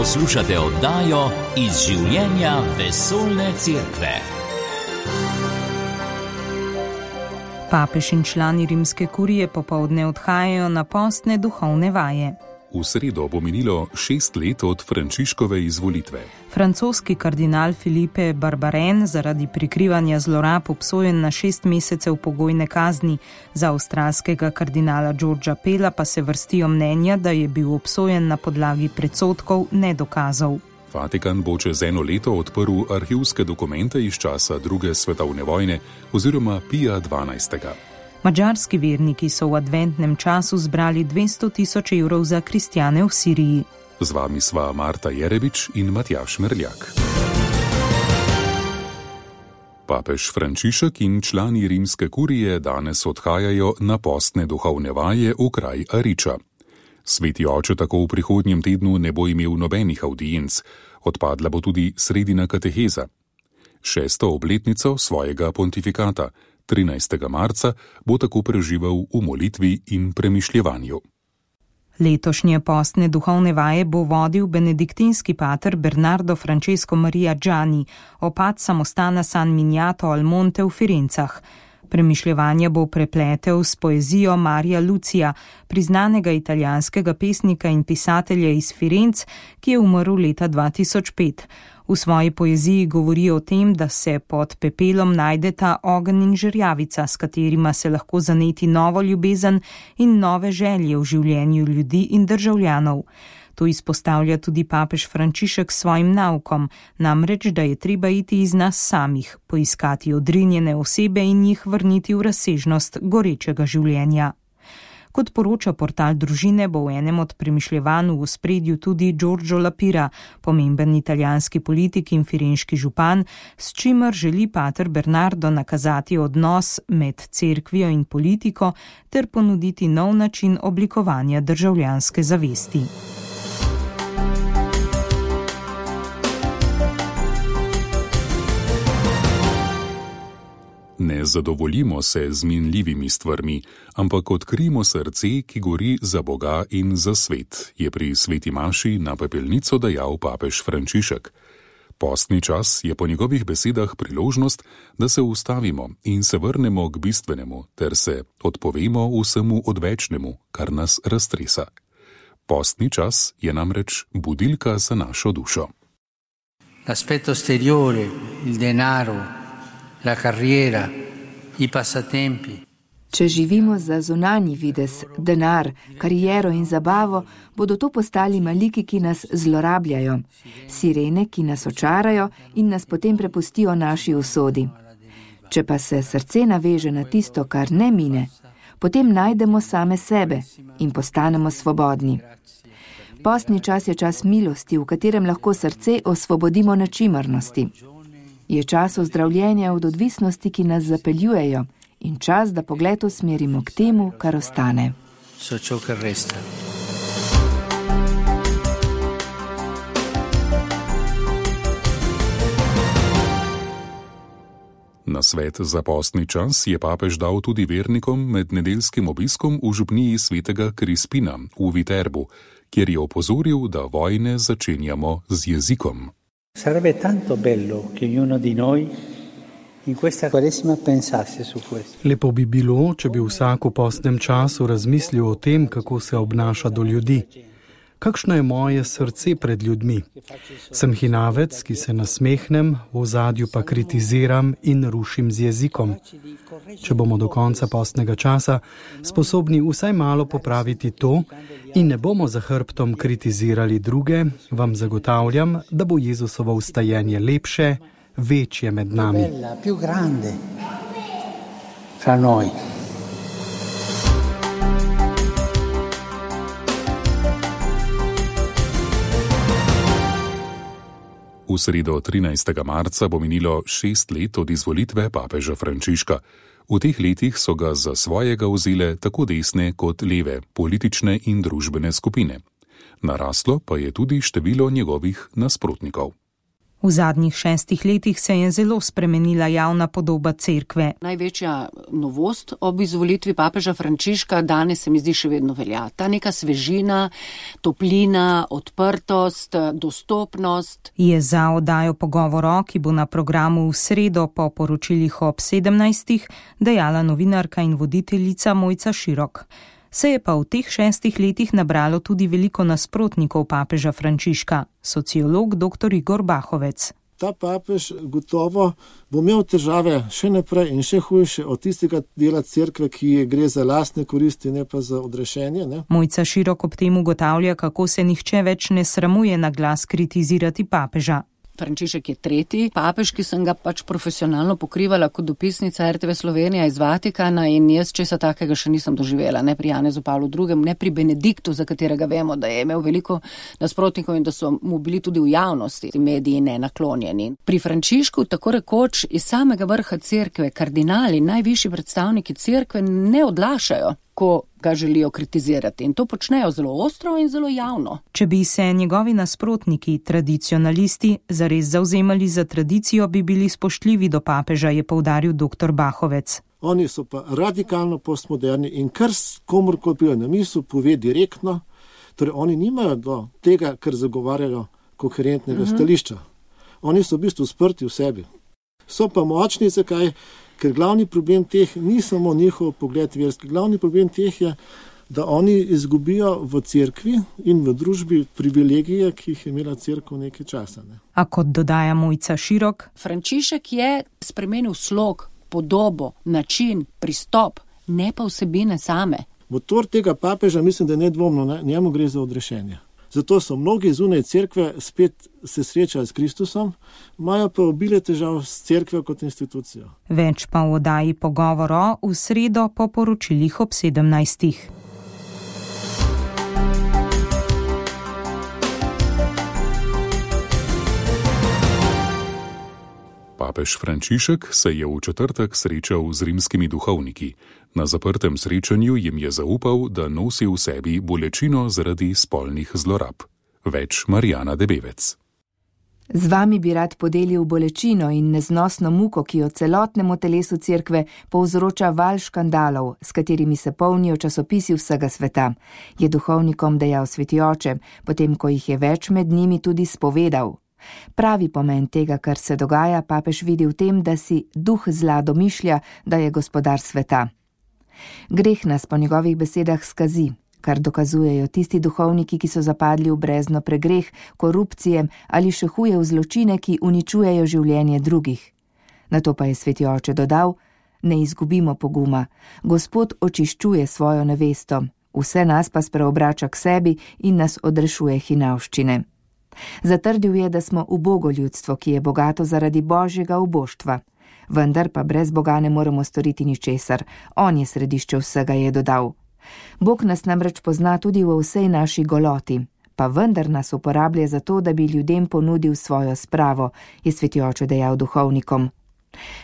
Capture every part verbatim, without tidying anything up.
Poslušate oddajo Iz življenja vesoljne cerkve. Papež in člani rimske kurije popoldne odhajajo na postne duhovne vaje. V sredo bo minilo šest let od Frančiškove izvolitve. Francoski kardinal Philippe Barbaren zaradi prikrivanja zlorab obsojen na šest mesecev pogojne kazni. Za avstralskega kardinala Georgea Pella pa se vrstijo mnenja, da je bil obsojen na podlagi predsodkov, ne dokazov. Vatikan bo čez eno leto odprl arhivske dokumente iz časa druge svetovne vojne oziroma Pija dvanajstega. Madžarski verniki so v adventnem času zbrali dvesto tisoč evrov za kristjane v Siriji. Z vami sva Marta Jerebič in Matjaž Merljak. Papež Frančišek in člani rimske kurije danes odhajajo na postne duhovne vaje v kraj Ariča. Sveti oče tako v prihodnjem tednu ne bo imel nobenih avdienc, odpadla bo tudi sredina kateheza. Šesto obletnico svojega pontifikata, trinajstega marca, bo tako preživel v molitvi in premišljevanju. Letošnje postne duhovne vaje bo vodil benediktinski pater Bernardo Francesco Maria Gianni, opat samostana San Miniato al Monte v Firencah. Premišljevanja bo prepletel s poezijo Marija Lucija, priznanega italijanskega pesnika in pisatelja iz Firenc, ki je umrl leta dva tisoč pet. V svoji poeziji govori o tem, da se pod pepelom najdeta ogenj in žerjavica, s katerima se lahko zaneti novo ljubezen in nove želje v življenju ljudi in državljanov. To izpostavlja tudi papež Frančišek s svojim naukom, namreč, da je treba iti iz nas samih, poiskati odrinjene osebe in jih vrniti v razsežnost gorečega življenja. Kot poroča portal Družine, bo v enem od premišljevanj v ospredju tudi Giorgio La Pira, pomemben italijanski politik in firenški župan, s čimer želi pater Bernardo nakazati odnos med cerkvijo in politiko ter ponuditi nov način oblikovanja državljanske zavesti. Ne zadovoljimo se z minljivimi stvarmi, ampak odkrijmo srce, ki gori za Boga in za svet, je pri sveti maši na pepelnico dejal papež Frančišek. Postni čas je po njegovih besedah priložnost, da se ustavimo in se vrnemo k bistvenemu, ter se odpovemo vsemu odvečnemu, kar nas raztresa. Postni čas je namreč budilka za našo dušo. L'aspetto esteriore, il denaro, la carriera, i passatempi. Če živimo za zunanji videz, denar, kariero in zabavo, bodo to postali maliki, ki nas zlorabljajo, sirene, ki nas očarajo in nas potem prepustijo naši usodi. Če pa se srce naveže na tisto, kar ne mine, potem najdemo same sebe in postanemo svobodni. Postni čas je čas milosti, v katerem lahko srce osvobodimo nečimrnosti. Je čas ozdravljenja od odvisnosti, ki nas zapeljujejo, in čas, da pogled usmerimo k temu, kar ostane. Na svet za postni čas je papež dal tudi vernikom med nedeljskim obiskom v župniji svetega Krispina v Viterbu, kjer je opozoril, da vojne začenjamo z jezikom. Sarebbe tanto bello che ognuno di noi in questa Quaresima pensasse su questo. Lepo bi bilo, če bi vsak v postnem času razmislil o tem, kako se obnaša do ljudi. Kakšno je moje srce pred ljudmi? Sem hinavec, ki se nasmehnem, v ozadju pa kritiziram in rušim z jezikom. Če bomo do konca postnega časa sposobni vsaj malo popraviti to in ne bomo za hrbtom kritizirali druge, vam zagotavljam, da bo Jezusovo vstajenje lepše, večje med nami. Più grande fra noi. V sredo trinajstega marca bo minilo šest let od izvolitve papeža Frančiška. V teh letih so ga za svojega vzele tako desne kot leve politične in družbene skupine. Naraslo pa je tudi število njegovih nasprotnikov. V zadnjih šestih letih se je zelo spremenila javna podoba cerkve. Največja novost ob izvolitvi papeža Frančiška danes se mi zdi še vedno velja. Ta neka svežina, toplina, odprtost, dostopnost. Je za oddajo Pogovoro, ki bo na programu v sredo po poročilih ob sedemnajstih, dejala novinarka in voditeljica Mojca Širok. Se je pa v teh šestih letih nabralo tudi veliko nasprotnikov papeža Frančiška, sociolog doktor Igor Bahovec. Ta papež gotovo bo imel težave še naprej in še hujše od tistega dela cerkve, ki gre za lastne koristi, ne pa za odrešenje. Ne? Mojca Širok ob tem ugotavlja, kako se nihče več ne sramuje na glas kritizirati papeža. Frančišek je tretji papež, ki sem ga pač profesionalno pokrivala kot dopisnica er te ve Slovenija iz Vatikana in jaz česa takega še nisem doživela, ne pri Janezu Pavlu drugem, ne pri Benediktu, za katerega vemo, da je imel veliko nasprotnikov in da so mu bili tudi v javnosti mediji nenaklonjeni. Pri Frančišku tako rekoč iz samega vrha cerkve kardinali, najvišji predstavniki cerkve ne odlašajo, ko ga želijo kritizirati in to počnejo zelo ostro in zelo javno. Če bi se njegovi nasprotniki, tradicionalisti, zares zavzemali za tradicijo, bi bili spoštljivi do papeža, je poudaril doktor Bahovec. Oni so pa radikalno postmoderni in kar komorkoli pride na misel, pove direktno, torej oni nimajo do tega, kar zagovarjajo koherentnega uh-huh. stališča. Oni so v bistvu sprti v sebi. So pa močni, zakaj? Ker glavni problem teh ni samo njihov pogled verski. Glavni problem teh je, da oni izgubijo v cerkvi in v družbi privilegije, ki jih je imela cerkev nekaj časa. Ne? A kot dodaja Mojca Širok, Frančišek je spremenil slog, podobo, način, pristop, ne pa vsebine same. Motor tega papeža mislim, da je nedvomno, njemu gre za odrešenje. Zato so mnogi zunaj cerkve spet se srečali s Kristusom, imajo pa obile težav s cerkve kot institucijo. Več pa v oddaji Pogovoro v sredo po poročilih ob sedemnajstih. Papež Frančišek se je v četrtek srečal z rimskimi duhovniki. Na zaprtem srečanju jim je zaupal, da nosi v sebi bolečino zaradi spolnih zlorab. Več Marjana Debevec. Z vami bi rad podelil bolečino in neznosno muko, ki jo celotnemu telesu cerkve povzroča val škandalov, s katerimi se polnijo časopisi vsega sveta, je duhovnikom dejal sveti oče, potem ko jih je več med njimi tudi spovedal. Pravi pomen tega, kar se dogaja, papež vidi v tem, da si duh zla domišlja, da je gospodar sveta. Greh nas po njegovih besedah skazi, kar dokazujejo tisti duhovniki, ki so zapadli v brezno pregreh, korupcije ali še huje v zločine, ki uničujejo življenje drugih. Nato pa je sveti oče dodal, ne izgubimo poguma, Gospod očiščuje svojo nevesto, vse nas pa spreobrača k sebi in nas odrešuje hinavščine. Zatrdil je, da smo ubogo ljudstvo, ki je bogato zaradi božjega uboštva. Vendar pa brez Boga ne moremo storiti ničesar, on je središče vsega, je dodal. Bog nas namreč pozna tudi v vsej naši goloti, pa vendar nas uporablja za to, da bi ljudem ponudil svojo spravo, je sveti oče dejal duhovnikom.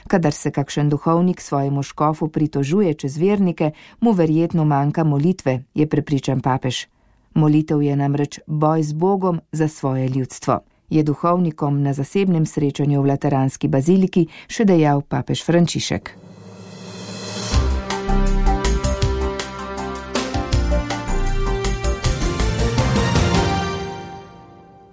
Kadar se kakšen duhovnik svojemu škofu pritožuje čez vernike, mu verjetno manjka molitve, je prepričan papež. Molitev je namreč boj z Bogom za svoje ljudstvo, je duhovnikom na zasebnem srečanju v Lateranski baziliki še dejal papež Frančišek.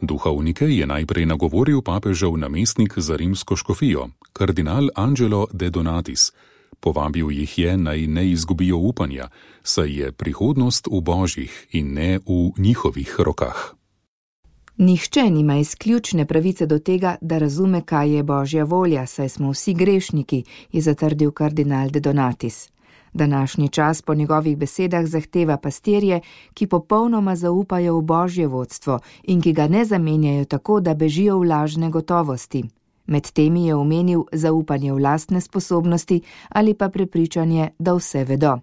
Duhovnike je najprej nagovoril papežev namestnik za rimsko škofijo, kardinal Angelo de Donatis. Povabil jih je, naj ne izgubijo upanja, saj je prihodnost v božjih in ne v njihovih rokah. Nihče nima izključne pravice do tega, da razume, kaj je božja volja, saj smo vsi grešniki, je zatrdil kardinal de Donatis. Današnji čas po njegovih besedah zahteva pastirje, ki popolnoma zaupajo v božje vodstvo in ki ga ne zamenjajo tako, da bežijo v lažne gotovosti. Med temi je omenil zaupanje v lastne sposobnosti ali pa prepričanje, da vse vedo.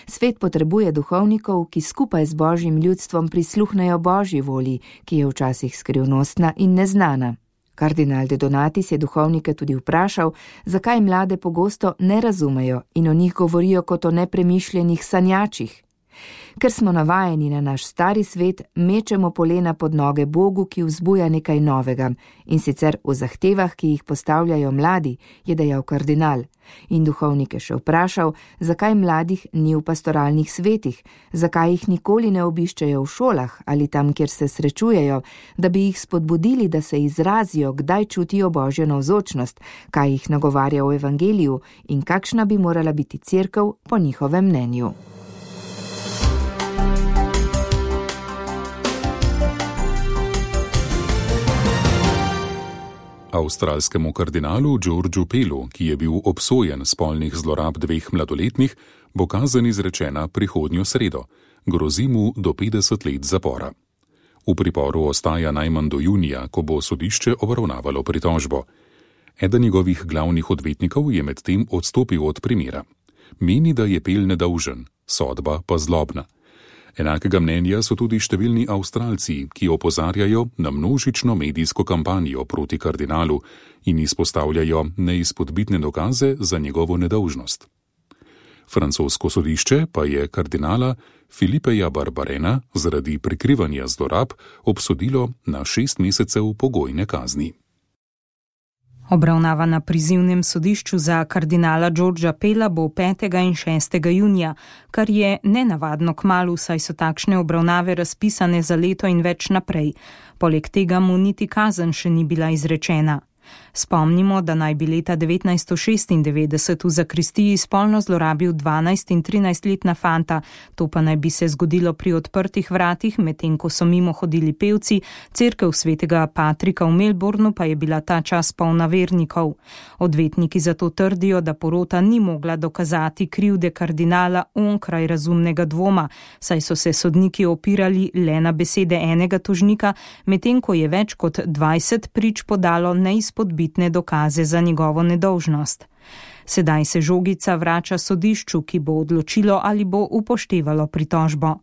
Svet potrebuje duhovnikov, ki skupaj z božjim ljudstvom prisluhnejo božji volji, ki je včasih skrivnostna in neznana. Kardinal de Donatis je duhovnike tudi vprašal, zakaj mlade pogosto ne razumejo in o njih govorijo kot o nepremišljenih sanjačih. Ker smo navajeni na naš stari svet, mečemo polena pod noge Bogu, ki vzbuja nekaj novega, in sicer v zahtevah, ki jih postavljajo mladi, je dejal kardinal. In duhovnik je še vprašal, zakaj mladih ni v pastoralnih svetih, zakaj jih nikoli ne obiščejo v šolah ali tam, kjer se srečujejo, da bi jih spodbudili, da se izrazijo, kdaj čutijo Božjo navzočnost, kaj jih nagovarja v evangeliju in kakšna bi morala biti cerkev po njihovem mnenju. Avstralskemu kardinalu Georgeu Pellu, ki je bil obsojen spolnih zlorab dveh mladoletnih, bo kazen izrečena prihodnjo sredo. Grozi mu do petdeset let zapora. V priporu ostaja najmanj do junija, ko bo sodišče obravnavalo pritožbo. Eden njegovih glavnih odvetnikov je medtem odstopil od primera. Meni, da je Pell nedolžen, sodba pa zlobna. Enakega mnenja so tudi številni Avstralci, ki opozarjajo na množično medijsko kampanjo proti kardinalu in izpostavljajo neizpodbitne dokaze za njegovo nedolžnost. Francosko sodišče pa je kardinala Filipeja Barbarena zaradi prikrivanja zlorab obsodilo na šest mesecev pogojne kazni. Obravnava na prizivnem sodišču za kardinala Georgea Pella bo petega in šestega junija, kar je nenavadno kmalu, saj so takšne obravnave razpisane za leto in več naprej. Poleg tega mu niti kazen še ni bila izrečena. Spomnimo, da naj bi leta devetnajststo šestindevetdeset v zakristiji spolno zlorabil dvanajst in trinajstletna fanta, to pa naj bi se zgodilo pri odprtih vratih, medtem ko so mimo hodili pevci, cerkev svetega Patrika v Melbournu pa je bila ta čas polna vernikov. Odvetniki zato trdijo, da porota ni mogla dokazati krivde kardinala onkraj razumnega dvoma, saj so se sodniki opirali le na besede enega tožnika, medtem ko je več kot dvajset prič podalo neizpodbitne dokaze za njegovo nedolžnost. Sedaj se žogica vrača sodišču, ki bo odločilo, ali bo upoštevalo pritožbo.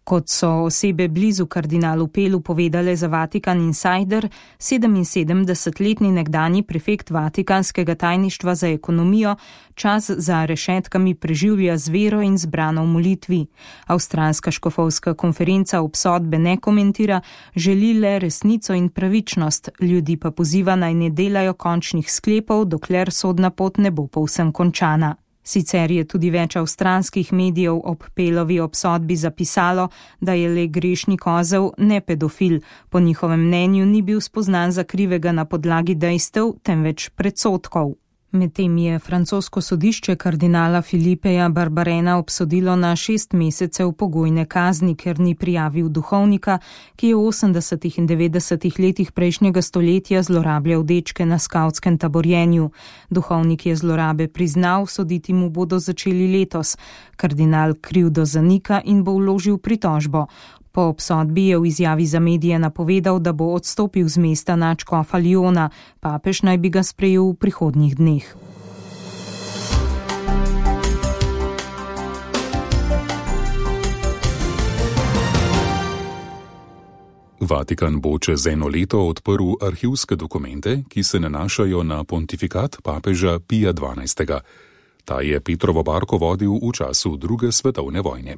Kot so osebe blizu kardinalu Pellu povedale za Vatikan Insider, sedeminsedemdesetletni nekdanji prefekt Vatikanskega tajništva za ekonomijo čas za rešetkami preživlja z vero in zbrano v molitvi. Avstralska škofovska konferenca obsodbe ne komentira, želi le resnico in pravičnost, ljudi pa poziva naj ne delajo končnih sklepov, dokler sodna pot ne bo povsem končana. Sicer je tudi več avstralskih medijev ob Pellovi obsodbi zapisalo, da je le grešni kozel, ne pedofil. Po njihovem mnenju ni bil spoznan za krivega na podlagi dejstev, temveč predsodkov. Medtem je francosko sodišče kardinala Filipeja Barbarena obsodilo na šest mesecev pogojne kazni, ker ni prijavil duhovnika, ki je v osemdesetih in devetdesetih letih prejšnjega stoletja zlorabljal dečke na skavtskem taborjenju. Duhovnik je zlorabe priznal, soditi mu bodo začeli letos. Kardinal krivdo zanika in bo vložil pritožbo. Po obsodbi je v izjavi za medije napovedal, da bo odstopil z mesta nadškofa Lyona, papež naj bi ga sprejel v prihodnjih dneh. Vatikan bo čez eno leto odprl arhivske dokumente, ki se nanašajo na pontifikat papeža Pija dvanajstega. Ta je Petrovo barko vodil v času druge svetovne vojne.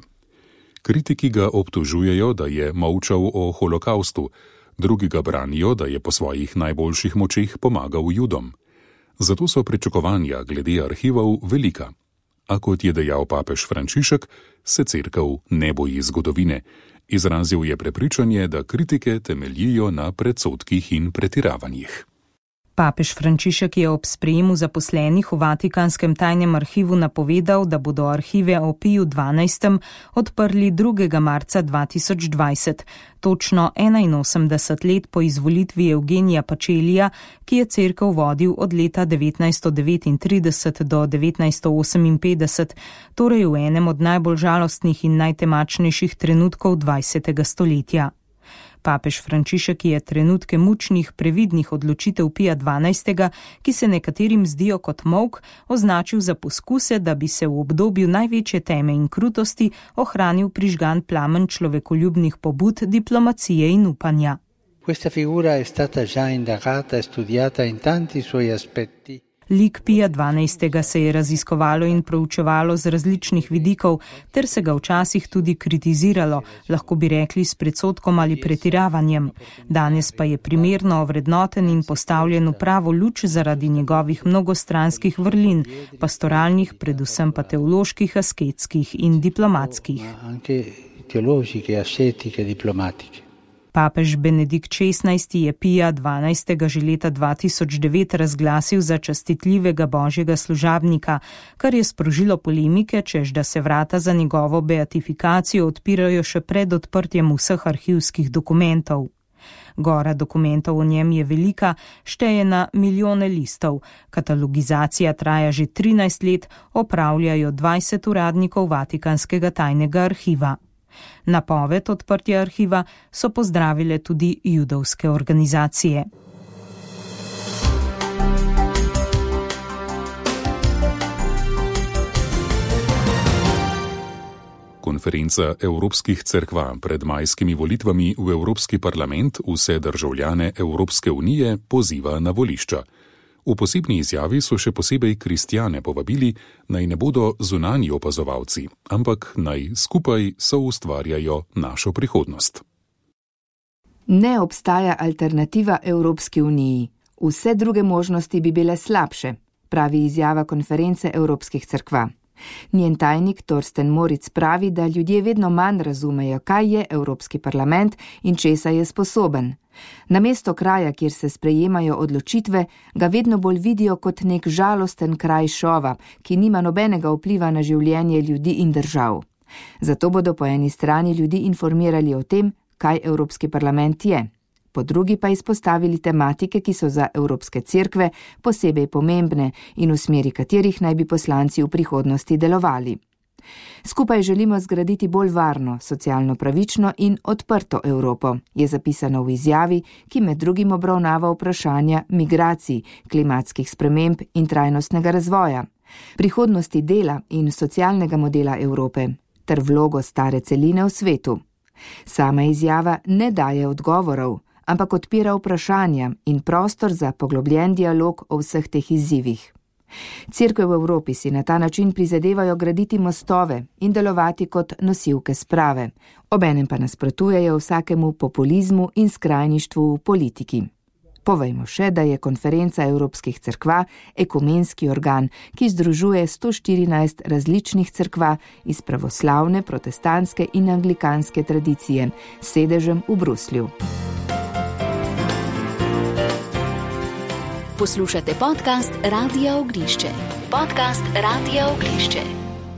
Kritiki ga obtožujejo, da je molčal o holokaustu, drugi ga branijo, da je po svojih najboljših močeh pomagal Judom. Zato so pričakovanja glede arhivov velika. A kot je dejal papež Frančišek, se cerkev ne boji zgodovine. Izrazil je prepričanje, da kritike temeljijo na predsodkih in pretiravanjih. Papež Frančišek je ob sprejemu zaposlenih v Vatikanskem tajnem arhivu napovedal, da bodo arhive o Piju dvanajstem odprli drugega marca dva tisoč dvajset, točno enainosemdeset let po izvolitvi Eugenija Pacelija, ki je cerkev vodil od leta devetnajststo devetintrideset do devetnajststo oseminpetdeset, torej v enem od najbolj žalostnih in najtemačnejših trenutkov dvajsetega stoletja. Papež Frančišek je trenutke mučnih, previdnih odločitev Pija dvanajstega, ki se nekaterim zdijo kot molk, označil za poskuse, da bi se v obdobju največje teme in krutosti ohranil prižgan plamen človekoljubnih pobud, diplomacije in upanja. Questa figura è stata già indagata e studiata in tanti suoi aspetti. Lik Pija dvanajstega se je raziskovalo in proučevalo z različnih vidikov, ter se ga včasih tudi kritiziralo, lahko bi rekli s predsodkom ali pretiravanjem. Danes pa je primerno ovrednoten in postavljen v pravo luč zaradi njegovih mnogostranskih vrlin, pastoralnih, predvsem pa teoloških, asketskih in diplomatskih. Papež Benedikt šestnajsti je Pija dvanajstega že leta dva tisoč devet razglasil za častitljivega božjega služabnika, kar je sprožilo polemike, češ da se vrata za njegovo beatifikacijo odpirajo še pred odprtjem vseh arhivskih dokumentov. Gora dokumentov o njem je velika, šteje na milijone listov. Katalogizacija traja že trinajst let, opravljajo dvajset uradnikov Vatikanskega tajnega arhiva. Napoved odprtja arhiva so pozdravile tudi judovske organizacije. Konferenca Evropskih cerkva pred majskimi volitvami v Evropski parlament vse državljane Evropske unije poziva na volišča. V posebni izjavi so še posebej kristjane povabili, naj ne bodo zunanji opazovalci, ampak naj skupaj soustvarjajo našo prihodnost. Ne obstaja alternativa Evropski uniji. Vse druge možnosti bi bile slabše, pravi izjava konference Evropskih cerkva. Njen tajnik Torsten Moritz pravi, da ljudje vedno manj razumejo, kaj je Evropski parlament in česa je sposoben. Namesto kraja, kjer se sprejemajo odločitve, ga vedno bolj vidijo kot nek žalosten kraj šova, ki nima nobenega vpliva na življenje ljudi in držav. Zato bodo po eni strani ljudi informirali o tem, kaj Evropski parlament je. Po drugi pa izpostavili tematike, ki so za evropske cerkve posebej pomembne in v smeri katerih naj bi poslanci v prihodnosti delovali. Skupaj želimo zgraditi bolj varno, socialno pravično in odprto Evropo, je zapisano v izjavi, ki med drugim obravnava vprašanja migracij, klimatskih sprememb in trajnostnega razvoja, prihodnosti dela in socialnega modela Evrope ter vlogo stare celine v svetu. Sama izjava ne daje odgovorov, ampak odpira vprašanja in prostor za poglobljen dialog o vseh teh izzivih. Cerkve v Evropi si na ta način prizadevajo graditi mostove in delovati kot nosilke sprave, obenem pa nasprotujejo vsakemu populizmu in skrajništvu v politiki. Povejmo še, da je konferenca Evropskih cerkva ekumenski organ, ki združuje sto štirinajst različnih cerkva iz pravoslavne, protestantske in anglikanske tradicije, s sedežem v Bruslju. Poslušate podcast Radia Ognišče. Podcast Radia Ognišče.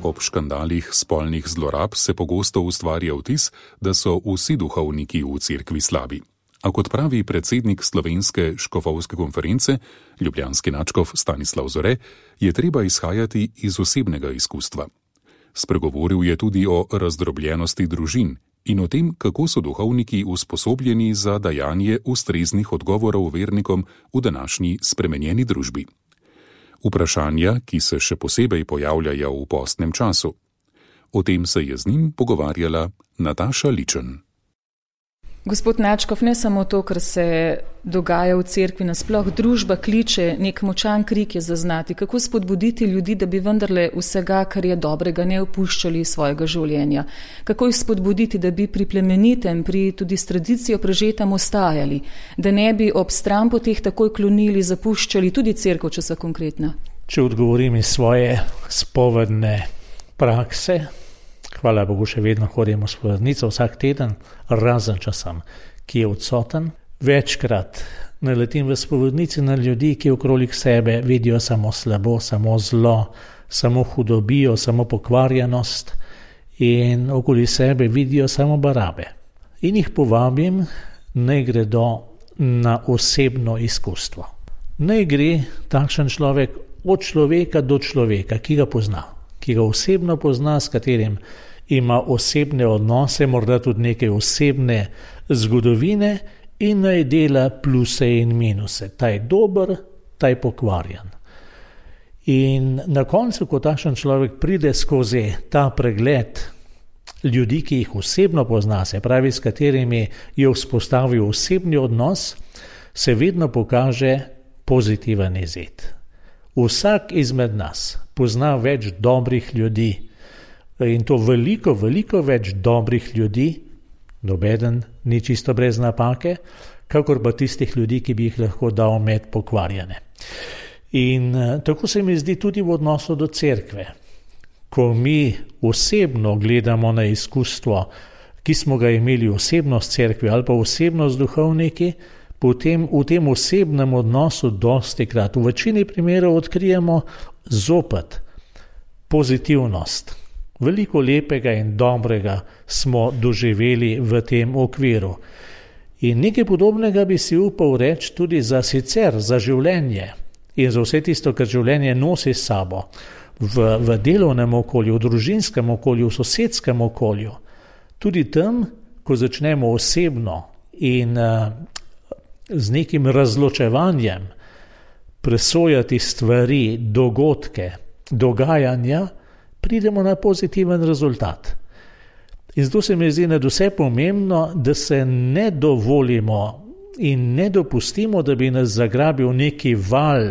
Ob škandalih spolnih zlorab se pogosto ustvarja vtis, da so vsi duhovniki v cerkvi slabi. A kot pravi predsednik Slovenske škofovske konference, ljubljanski nadškof Stanislav Zore, je treba izhajati iz osebnega izkustva. Spregovoril je tudi o razdrobljenosti družin in o tem, kako so duhovniki usposobljeni za dajanje ustreznih odgovorov vernikom v današnji spremenjeni družbi. Vprašanja, ki se še posebej pojavljajo v postnem času. O tem se je z njim pogovarjala Nataša Ličen. Gospod Nadškof, ne samo to, kar se dogaja v cerkvi nasploh, družba kliče, nek močan krik je zaznati. Kako spodbuditi ljudi, da bi vendarle vsega, kar je dobrega, ne opuščali svojega življenja? Kako jih spodbuditi, da bi pri plemenitem, pri tudi s tradicijo prežetem ostajali, da ne bi ob stran poteh takoj klonili, zapuščali tudi cerkev, če so konkretna? Če odgovorim iz svoje spovedne prakse, hvala Bogu, še vedno hodim v spovednico vsak teden, razen časem, ki je odsoten. Večkrat naletim v spovednici na ljudi, ki okrolik sebe vidijo samo slabo, samo zlo, samo hudobijo, samo pokvarjenost in okoli sebe vidijo samo barabe. In jih povabim, naj gredo na osebno izkustvo. Naj gre takšen človek od človeka do človeka, ki ga pozna, ki ga osebno pozna, s katerim ima osebne odnose, morda tudi neke osebne zgodovine in naj dela pluse in minuse. Ta je dober, ta je pokvarjen. In na koncu, ko takšen človek pride skozi ta pregled ljudi, ki jih osebno pozna, se pravi, s katerimi je vzpostavil osebni odnos, se vedno pokaže pozitiven izid. vsak izmed nas pozna več dobrih ljudi in to veliko, veliko več dobrih ljudi, nobeden ni čisto brez napake, kakor pa tistih ljudi, ki bi jih lahko dal med pokvarjene. In tako se mi zdi tudi v odnosu do cerkve. Ko mi osebno gledamo na izkustvo, ki smo ga imeli osebno s cerkvi ali pa osebno z duhovniki, potem v tem osebnem odnosu dostikrat, v večini primerov odkrijemo zopet pozitivnost. Veliko lepega in dobrega smo doživeli v tem okviru. In nekaj podobnega bi si upal reči tudi za sicer, za življenje in za vse tisto, kar življenje nosi s sabo. V, v delovnem okolju, v družinskem okolju, v sosedskem okolju. Tudi tam, ko začnemo osebno in uh, z nekim razločevanjem presojati stvari, dogodke, dogajanja, pridemo na pozitiven rezultat. In zato se mi zdi nadvse pomembno, da se ne dovolimo in ne dopustimo, da bi nas zagrabil neki val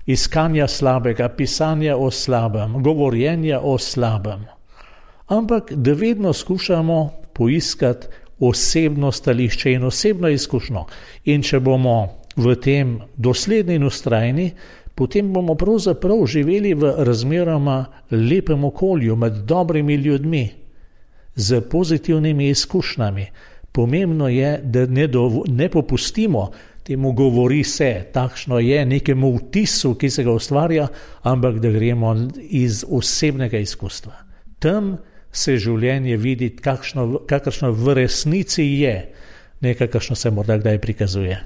iskanja slabega, pisanja o slabem, govorjenja o slabem. Ampak da vedno skušamo poiskati osebno stališče in osebno izkušnjo. In če bomo v tem dosledni in vztrajni, potem bomo pravzaprav živeli v razmeroma lepem okolju, med dobrimi ljudmi, z pozitivnimi izkušnjami. Pomembno je, da ne, dovo, ne popustimo temu govori se, takšno je nekemu vtisu, ki se ga ustvarja, ampak da gremo iz osebnega izkustva. Tam se življenje vidi, kakšno, kakršno v resnici je, ne kakršno se morda kdaj prikazuje.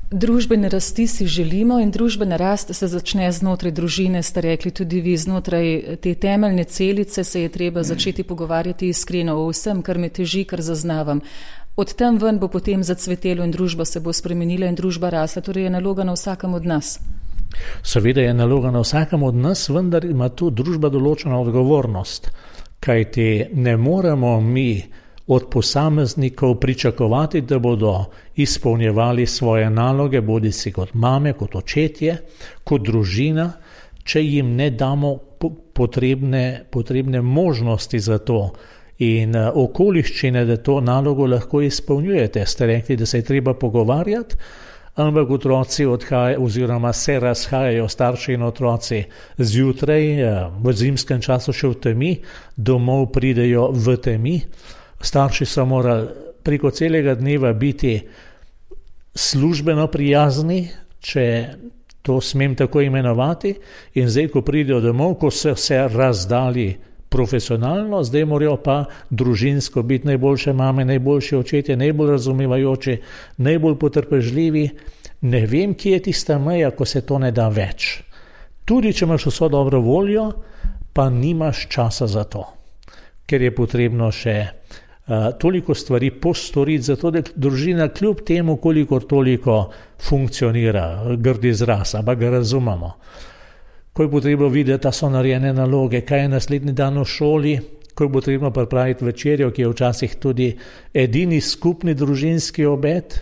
Družbene rasti si želimo in družbena rast se začne znotraj družine, ste rekli tudi vi, znotraj te temeljne celice se je treba začeti pogovarjati iskreno o vsem, kar me teži, kar zaznavam. Od tam ven bo potem zacvetelo in družba se bo spremenila in družba rasla, torej je naloga na vsakem od nas. Seveda je naloga na vsakem od nas, vendar ima tu družba določeno odgovornost, kajti ne moremo mi od posameznikov pričakovati, da bodo izpolnjevali svoje naloge, bodi si kot mame, kot očetje, kot družina, če jim ne damo potrebne, potrebne možnosti za to in okoliščine, da to nalogo lahko izpolnjujete. Ste rekli, da se je treba pogovarjati, ampak otroci odhajajo oziroma se razhajajo, starši in otroci zjutraj, v zimskem času še v temi, domov pridejo v temi. Starši so morali preko celega dneva biti službeno prijazni, če to smem tako imenovati, in zdaj, ko pridejo domov, ko so se razdali profesionalno, zdaj morajo pa družinsko biti najboljše mame, najboljši očetje, najbolj razumevajoči, najbolj potrpežljivi. Ne vem, kje je tista meja, ko se to ne da več. Tudi, če imaš vso dobro voljo, pa nimaš časa za to, ker je potrebno še uh, toliko stvari postoriti, zato da družina kljub temu, kolikor toliko funkcionira, grdi izraz, ampak ga razumemo. Ko je potrebno videti, da so narejene naloge, kaj je naslednji dan v šoli, ko je potrebno pripraviti večerjo, ki je včasih tudi edini skupni družinski obed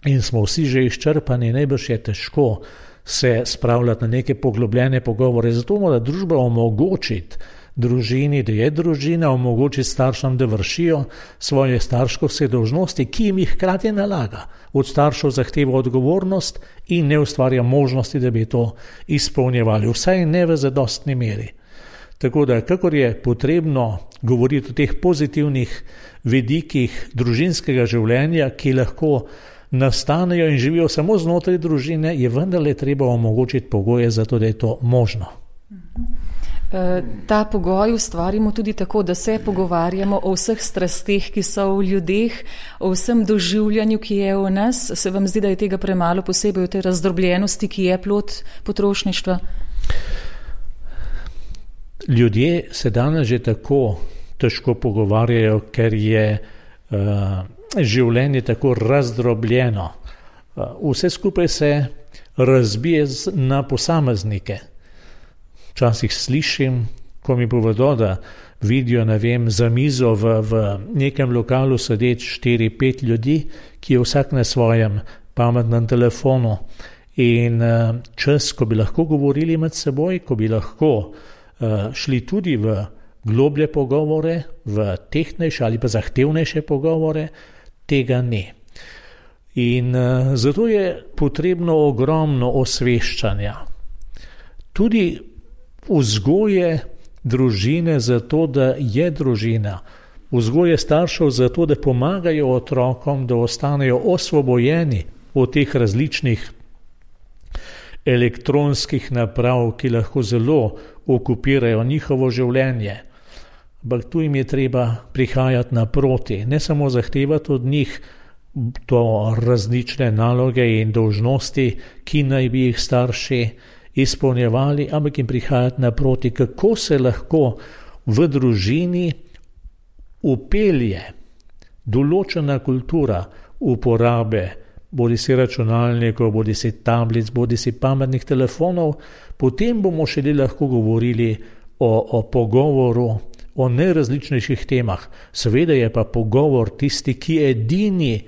in smo vsi že izčrpani, najbrž je težko se spravljati na neke poglobljene pogovore. Zato mora družba omogočiti družini, da je družina, omogočiti staršem, da vršijo svoje starškovske dolžnosti, ki jim jih hkrati nalaga. Od staršev zahteva odgovornost in ne ustvarja možnosti, da bi to izpolnjevali, vsaj ne v zadostni meri. Tako da, kakor je potrebno govoriti o teh pozitivnih vidikih družinskega življenja, ki lahko nastanejo in živijo samo znotraj družine, je vendarle treba omogočiti pogoje za to, da je to možno. Ta pogoj ustvarimo tudi tako, da se pogovarjamo o vseh strasteh, ki so v ljudeh, o vsem doživljanju, ki je v nas. Se vam zdi, da je tega premalo, posebej v tej razdrobljenosti, ki je plod potrošništva? Ljudje se danes že tako težko pogovarjajo, ker je uh, življenje tako razdrobljeno. Uh, vse skupaj se razbije na posameznike. Včasih slišim, ko mi povedo, da vidijo, ne vem, za mizo v, v nekem lokalu sedeč štiri, pet ljudi, ki je vsak na svojem pametnem telefonu In čas, ko bi lahko govorili med seboj, ko bi lahko šli tudi v globlje pogovore, v tehtnejše ali pa zahtevnejše pogovore, tega ne. In zato je potrebno ogromno osveščanja. Tudi vzgoje družine za to, da je družina, vzgoje staršev za to, da pomagajo otrokom, da ostanejo osvobojeni od teh različnih elektronskih naprav, ki lahko zelo okupirajo njihovo življenje. Ampak tu jim je treba prihajati naproti, ne samo zahtevati od njih to različne naloge in dolžnosti, ki naj bi jih starši izpolnjevali, ampak jim prihajati naproti, kako se lahko v družini upelje določena kultura uporabe bodi si računalnikov, bodi si tablic, bodi si pametnih telefonov, potem bomo šele lahko govorili o, o pogovoru, o najrazličnejših temah. Seveda je pa pogovor tisti, ki edini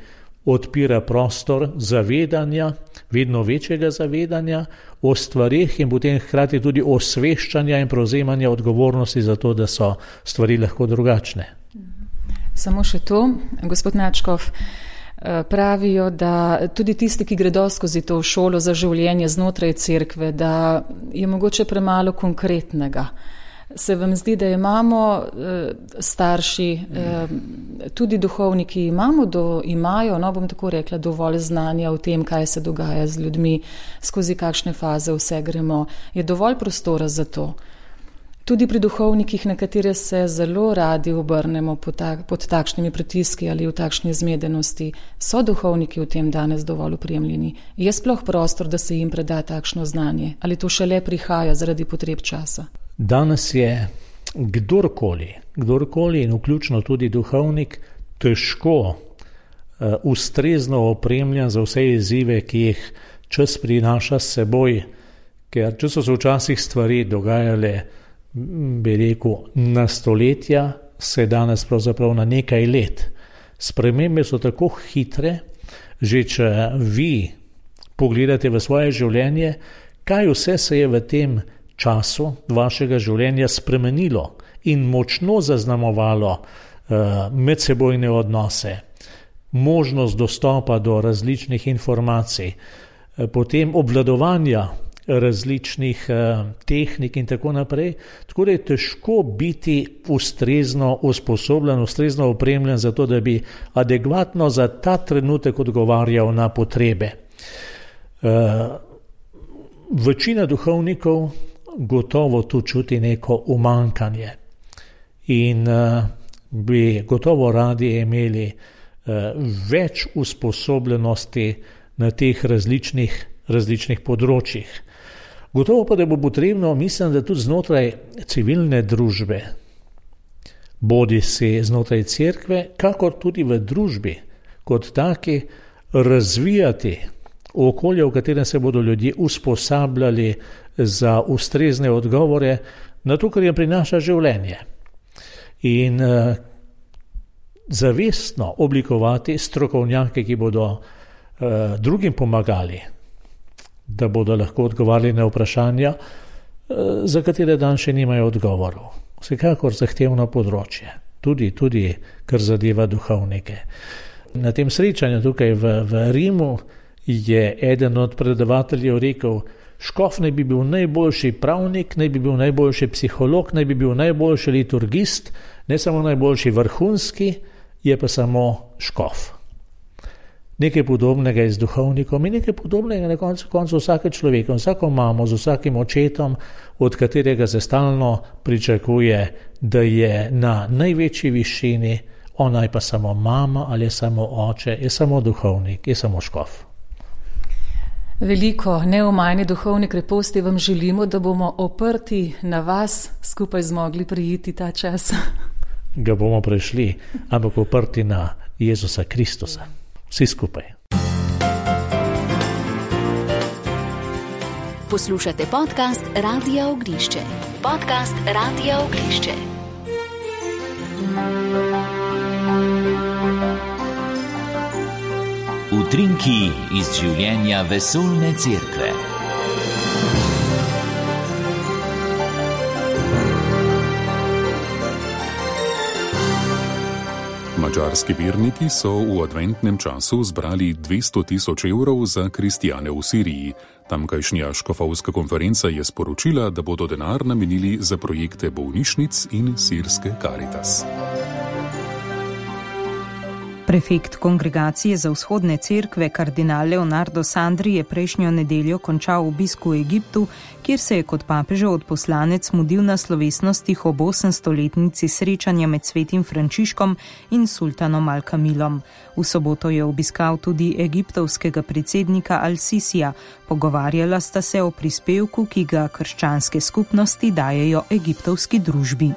odpira prostor zavedanja, vedno večjega zavedanja o stvarih in potem hkrati tudi osveščanja in prevzemanja odgovornosti za to, da so stvari lahko drugačne. Samo še to, gospod Načkov, pravijo, da tudi tisti, ki gredo skozi to šolo za življenje znotraj cerkve, da je mogoče premalo konkretnega. Se vam zdi, da imamo starši, tudi duhovniki, imamo do, imajo, no bom tako rekla, dovolj znanja o tem, kaj se dogaja z ljudmi, skozi kakšne faze vse gremo. Je dovolj prostora za to? Tudi pri duhovnikih, na katere se zelo radi obrnemo pod, tak, pod takšnimi pritiski ali v takšni zmedenosti, so duhovniki v tem danes dovolj upremljeni? Je sploh prostor, da se jim preda takšno znanje? Ali to šele prihaja zaradi potreb časa? Danes je kdorkoli, kdorkoli in vključno tudi duhovnik, težko uh, ustrezno opremljen za vse izzive, ki jih čas prinaša s seboj, ker če so se včasih stvari dogajale, bi rekel, na stoletja, se danes pravzaprav na nekaj let. Spremembe so tako hitre, že če vi pogledate v svoje življenje, kaj vse se je v tem času vašega življenja spremenilo in močno zaznamovalo uh, medsebojne odnose, možnost dostopa do različnih informacij, uh, potem obvladovanja različnih uh, tehnik in tako naprej, tako da je težko biti ustrezno usposobljen, ustrezno opremljen za to, da bi adekvatno za ta trenutek odgovarjal na potrebe. Uh, večina duhovnikov gotovo tu čuti neko umankanje in uh, bi gotovo radi imeli uh, več usposobljenosti na teh različnih, različnih področjih. Gotovo pa, da bo potrebno, mislim, da tudi znotraj civilne družbe, bodi si znotraj cerkve, kakor tudi v družbi, kot taki, razvijati okolje, v katerem se bodo ljudje usposabljali za ustrezne odgovore na to, kar jim prinaša življenje. In uh, zavestno oblikovati strokovnjake, ki bodo uh, drugim pomagali, da bodo lahko odgovarjali na vprašanja, uh, za katere dan še nimajo odgovorov. Vsekakor zahtevno področje, tudi, tudi kar zadeva duhovnike. Na tem srečanju tukaj v, v Rimu je eden od predavateljev rekel, škof naj bi bil najboljši pravnik, naj bi bil najboljši psiholog, naj bi bil najboljši liturgist, ne samo najboljši vrhunski, je pa samo škof. Nekaj podobnega je z duhovnikom in nekaj podobnega na koncu koncu vsake človeka, vsako mamo, z vsakim očetom, od katerega se stalno pričakuje, da je na največji višini, ona je pa samo mama ali je samo oče, je samo duhovnik, je samo škof. Veliko neomajne duhovne kreposti vam želimo, da bomo oprti na vas skupaj zmogli prijeti ta čas. Ga bomo prešli, ampak oprti na Jezusa Kristusa. Vsi skupaj. Poslušate podcast Radia Ognišče. Podcast Radia Ognišče. Utrinki iz življenja vesoljne cerkve. Madžarski verniki so v adventnem času zbrali dvesto tisoč evrov za kristjane v Siriji. Tamkajšnja škofovska konferenca je sporočila, da bodo denar namenili za projekte bolnišnic in sirske Karitas. Prefekt Kongregacije za vzhodne cerkve kardinal Leonardo Sandri je prejšnjo nedeljo končal obisk v Egiptu, kjer se je kot papežev odposlanec mudil na slovesnostih ob osemstoletnici srečanja med svetim Frančiškom in sultanom Al-Kamilom. V soboto je obiskal tudi egiptovskega predsednika Al-Sisija. Pogovarjala sta se o prispevku, ki ga krščanske skupnosti dajejo egiptovski družbi.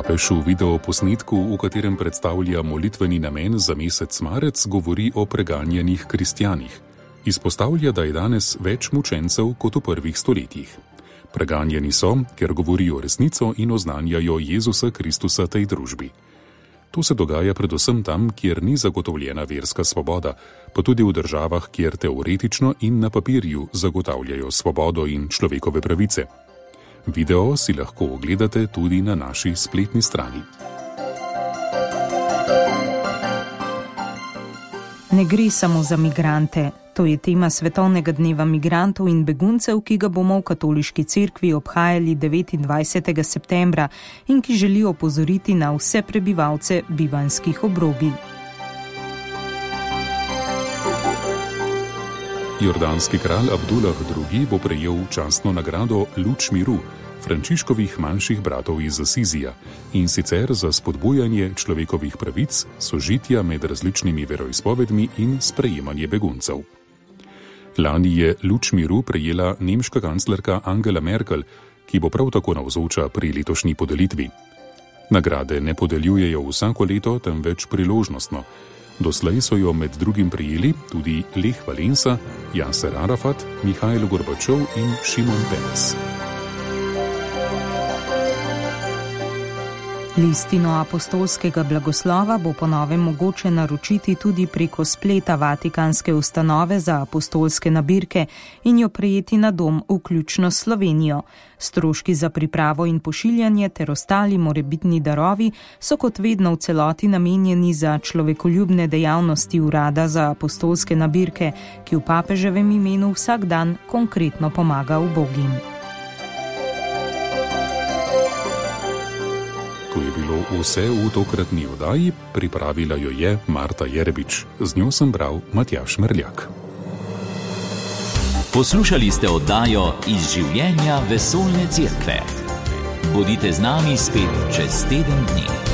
Papež v videoposnetku, v katerem predstavlja molitveni namen za mesec marec, govori o preganjanih kristjanih. Izpostavlja, da je danes več mučencev kot v prvih stoletjih. Preganjani so, ker govorijo resnico in oznanjajo Jezusa Kristusa tej družbi. To se dogaja predvsem tam, kjer ni zagotovljena verska svoboda, pa tudi v državah, kjer teoretično in na papirju zagotavljajo svobodo in človekove pravice. Video si lahko ogledate tudi na naši spletni strani. Ne gre samo za migrante. To je tema Svetovnega dneva migrantov in beguncev, ki ga bomo v Katoliški cerkvi obhajali devetindvajsetega septembra in ki želi opozoriti na vse prebivalce bivanjskih obrobij. Jordanski kralj Abdullah drugi. bo prejel častno nagrado Luč miru Frančiškovih manjših bratov iz Asizija, in sicer za spodbujanje človekovih pravic, sožitja med različnimi veroizpovedmi in sprejemanje beguncev. Lani je Luč miru prejela nemška kanclerka Angela Merkel, ki bo prav tako navzoča pri letošnji podelitvi. Nagrade ne podeljujejo vsako leto, temveč priložnostno. Doslej so jo med drugim prijeli tudi Lech Valensa, Jaser Arafat, Mihajl Gorbačov in Šimon Peres. Listino apostolskega blagoslova bo po novem mogoče naročiti tudi preko spleta Vatikanske ustanove za apostolske nabirke in jo prejeti na dom, vključno s Slovenijo. Stroški za pripravo in pošiljanje ter ostali morebitni darovi so kot vedno v celoti namenjeni za človekoljubne dejavnosti Urada za apostolske nabirke, ki v papeževem imenu vsak dan konkretno pomaga ubogim. To je bilo vse v tokratni oddaji, pripravila jo je Marta Jerebič. Z njo sem bral Matjaž Merljak. Poslušali ste oddajo Iz življenja vesoljne cerkve. Bodite z nami spet čez teden dni.